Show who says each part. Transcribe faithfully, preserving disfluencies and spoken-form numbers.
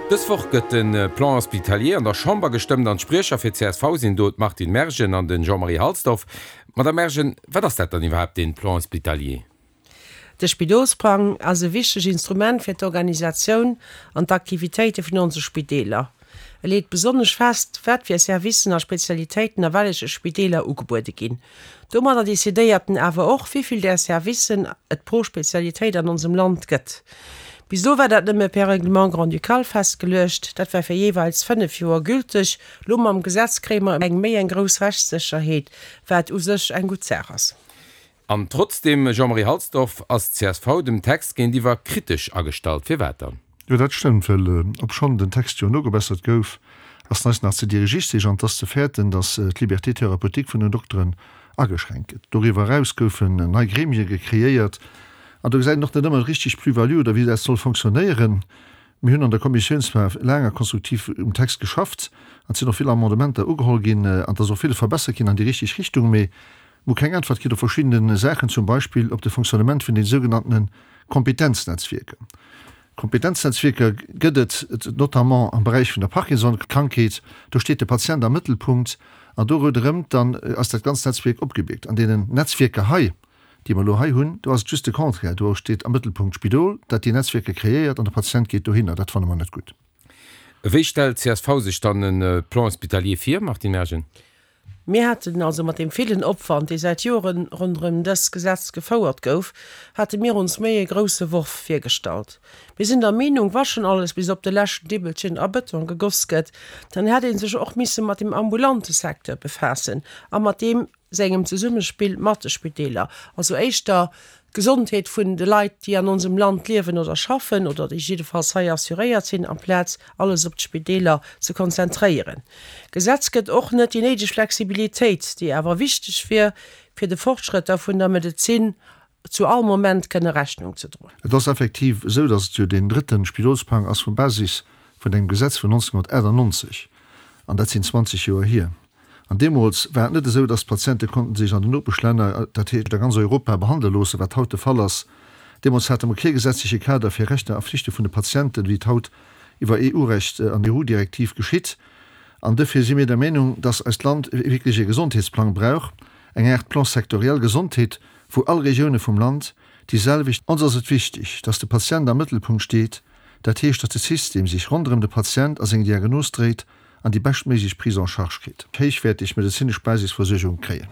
Speaker 1: Dës Woch gëtt de Plan hospitalier an der Chamber gestëmmt an d'Spriecher fir d'CSV sinn do d'Martine Mergen an den Jean-Marie Halsdorf. Madame Mergen, wat ass dat dann iwwerhaapt deen Plan hospitalier?
Speaker 2: De Spidolsplang ass e wichteg Instrument fir d'Organisatioun an d'Aktivitéite vun onse Spideeler. E leet besonnesch fest, wat fir Servicen a Spezialitéiten a welleche Spideeler ugebuede ginn. Domadder decidéiert en awer och, wéi vill där Servicen et pro Spezialitéit an onsem Land gëtt. Bis elo war dat nëmme per Règlement grand-ducal festgeluecht, dat war fir jeeweils fënnef Joer gülteg. Elo mam Gesetz kréie mer eng méi eng grouss Rechtssécherheet, wat u sech eng gutt Saach ass.
Speaker 1: An trotzdeem, Jean-Marie Halsdorf, ass d'CSV dem Text géintiwwer kritesch agestallt. Firwat dann?
Speaker 3: Jo, dat stëmmt, well obschonn den Text jo nogebessert gouf, ass en eis nach ze dirigisteg an et ass ze fäerten, datt d'Liberté thérapeutique vun den Dokteren ageschränkt gëtt. Doriwwer eraus goufen nei Gremie gekreéiert an do gesäit een och net ëmmer richteg d'Plus-value oder wéi dat soll fonctionnéieren. Mir hunn an der Kommissioun zwar laang a konstruktiv um Text geschafft an et sinn och vill Amendementer ugeholl ginn an et ass och villes verbessert ginn an déi richteg Richtung, mee Mir hu keng Äntwert kritt op verschiddene Saachen, zum Beispill op de Fonctionnement vun den sougenanntene Kompetenznetzwierker. Kompetenznetzwierker gëtt et notamment am Beräich vun der Parkinson-Krankheet. Do steet de Patient am Mëttelpunkt an do ronderëm dann ass dat ganzt Netzwierk opgebiergt. An deenen Netzwierker hei, déi mer elo hei hunn, do ass et just de Contraire, do steet am Mëttelpunkt d'Spidol, dat déi Netzwierker kreéiert an de Patient geet dohinner. Dat fanne mer net gutt.
Speaker 1: Wéi stellt d'CSV sech dann e Plan hospitalier vir, Martine Mergen?
Speaker 2: Mir haten also mat deem villen Opwand, dee säit Joren ronderëm dëst Gesetz gefouert gouf, hate mir ons méi e grousse Worf virgestallt. Mir sinn der Meenung, wa schonn alles bis op de leschten Dibbelchen a Bëtong gegoss gëtt, dann hätt ee sech och misse mat dem ambulante Secteur befaassen a mat deem sengem Zesummespill mat de Spideeler, also éischter d'Gesondheet vun de Leit, déi an onsem Land liewen oder schaffen oder déi jiddefalls hei assuréiert sinn, amplaz alles op d'Spideeler ze konzentréieren. D'Gesetz gëtt och net déi néideg Flexibilitéit, déi awer wichteg wier, fir de Fortschrëtter vun der Medezin zu all Moment kënne Rechnung ze droen.
Speaker 3: Et ass effektiv esou, datt et jo deen drëtte Spidolsplang ass vum Basis vun engem Gesetz vun neunzehnhundertachtundneunzeg, an dat sinn zwanzeg Joer hier. An deemools war et net esou, dass d'Patiente konnten sech an den Nopeschlänner, dat heescht a ganz Europa, behandle loossen, wat haut de Fall ass. Deemools hate mer kee gesetzleche Kader fir Rechter a Flichte vun de Patienten, wéi et haut iwwer E U-Recht an E U-Direktiv geschitt. An duerfir si mir der Meenung, dass eist Land wierklech e Gesondheetsplang brauch, eng Aart Plan sectoriel Gesondheet, wou all Regioune vum Land déi selwecht. Ons ass et wichteg, dass de Patient am Mëttelpunkt steet, dat heescht, dass de System sech ronderëm de Patient a seng Diagnos dréit an déi beschtméiglech Prise en charge kritt. Héichwäerteg medezinesch Basisversuergung kréien.